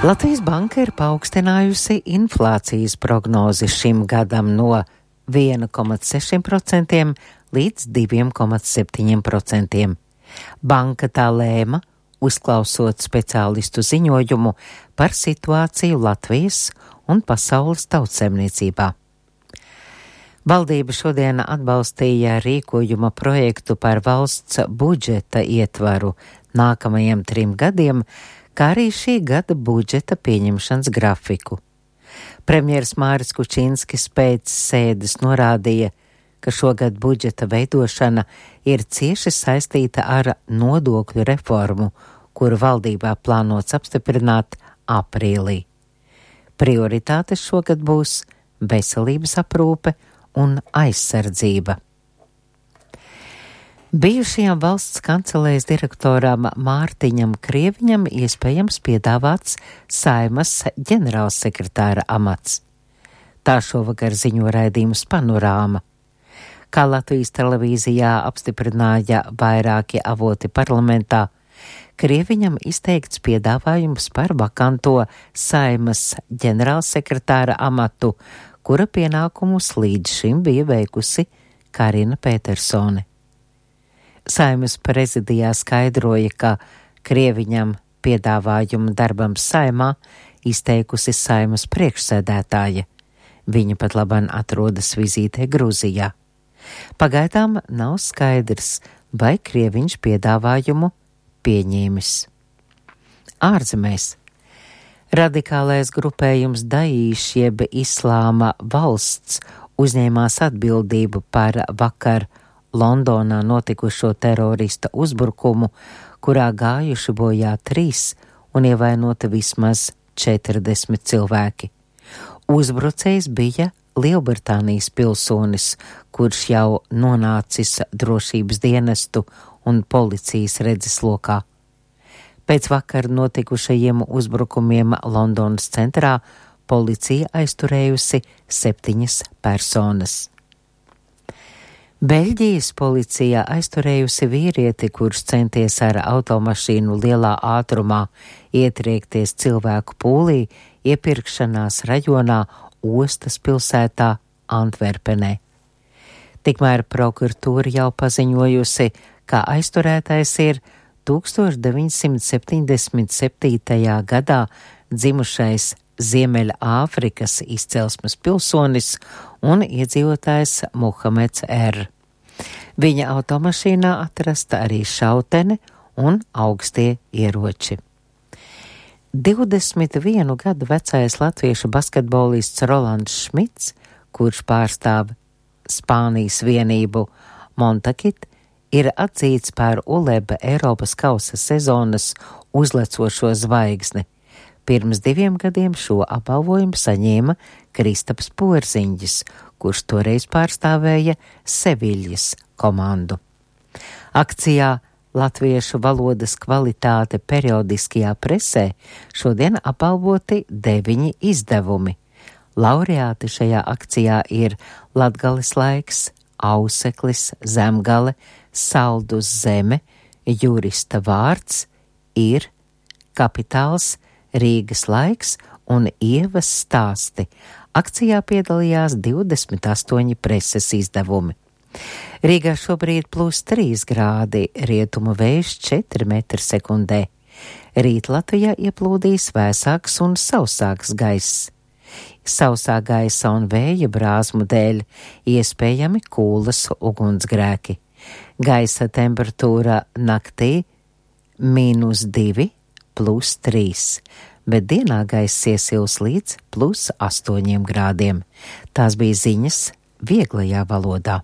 Latvijas Banka ir paaugstinājusi inflācijas prognozi šim gadam no 1,6% līdz 2,7%. Banka tā lēma, uzklausot speciālistu ziņojumu par situāciju Latvijas un pasaules tautsemniecībā. Valdība šodien atbalstīja rīkojuma projektu par valsts budžeta ietvaru nākamajiem 3 gadiem, kā arī šī gada budžeta pieņemšanas grafiku. Premjers Māris Kučinskis pēc sēdes norādīja, ka šogad budžeta veidošana ir cieši saistīta ar nodokļu reformu, kuru valdībā plānots apstiprināt aprīlī. Prioritātes šogad būs veselības aprūpe un aizsardzība. Bijušajam valsts kancelējas direktoram Mārtiņam Krieviņam iespējams piedāvāts Saeimas ģenerālsekretāra amats. Tā šovakar ziņo raidījums Panorāma. Kā Latvijas televīzijā apstiprināja vairāki avoti parlamentā, Krieviņam izteikts piedāvājums par vakanto Saeimas ģenerālsekretāra amatu, kura pienākumus līdz šim bija veikusi Karina Petersone. Saeimas prezidijā skaidroja, ka Krieviņam piedāvājumu darbam Saeimā izteikusi Saeimas priekšsēdētāja. Viņa pat labāk atrodas vizītē Gruzijā. Pagaidām nav skaidrs, vai Krieviņš piedāvājumu pieņēmis. Ārzemēs. Radikālais grupējums Daīš jeb Islāma valsts uzņēmās atbildību par vakar Londonā notikušo terorista uzbrukumu, kurā gājuši bojā 3 un ievainoti vismaz 40 cilvēki. Uzbrucējs bija Lielbritānijas pilsonis, kurš jau nonācis drošības dienestu un policijas redzeslokā. Pēc vakar notikušajiem uzbrukumiem Londonas centrā policija aizturējusi 7 personas. Beļģijas policija aizturējusi vīrieti, kurš centies ar automašīnu lielā ātrumā ietriekties cilvēku pūlī iepirkšanās rajonā Ostas pilsētā Antverpenē. Tikmēr prokuratūra jau paziņojusi, ka aizturētais ir 1977. gadā dzimušais Ziemeļāfrikas izcelsmes pilsonis un iedzīvotājs Muhameds R. Viņa automašīnā atrasta arī šautene un augstie ieroči. 21 gadu vecais latviešu basketbolists Rolands Šmits, kurš pārstāv Spānijas vienību Montakit, ir atzīts par ULEB Eiropas kausa sezonas uzlecošo zvaigzni. Pirms 2 gadiem šo apbalvojumu saņēma Kristaps Porziņģis, kurš toreiz pārstāvēja Seviļas komandu. Akcijā Latviešu valodas kvalitāte periodiskajā presē šodien apbalvoti 9 izdevumi. Laureāti šajā akcijā ir Latgales laiks, Auseklis, Zemgale, Saldus zeme, Jurista vārds, ir Kapitāls, Rīgas laiks un Ievas stāsti. Akcijā piedalījās 28 preses izdevumi. Rīgā šobrīd +3 grādi, rietumu vējš 4 m/sekundē. Rīt Latvijā ieplūdīs vēsāks un sausāks gaiss. Sausā gaisa un vēja brāzmu dēļ iespējami kūlas ugunsgrēki. Gaisa temperatūra naktī -2, +3, bet dienā gaiss iesils līdz +8 grādiem. Tās bija ziņas vieglajā valodā.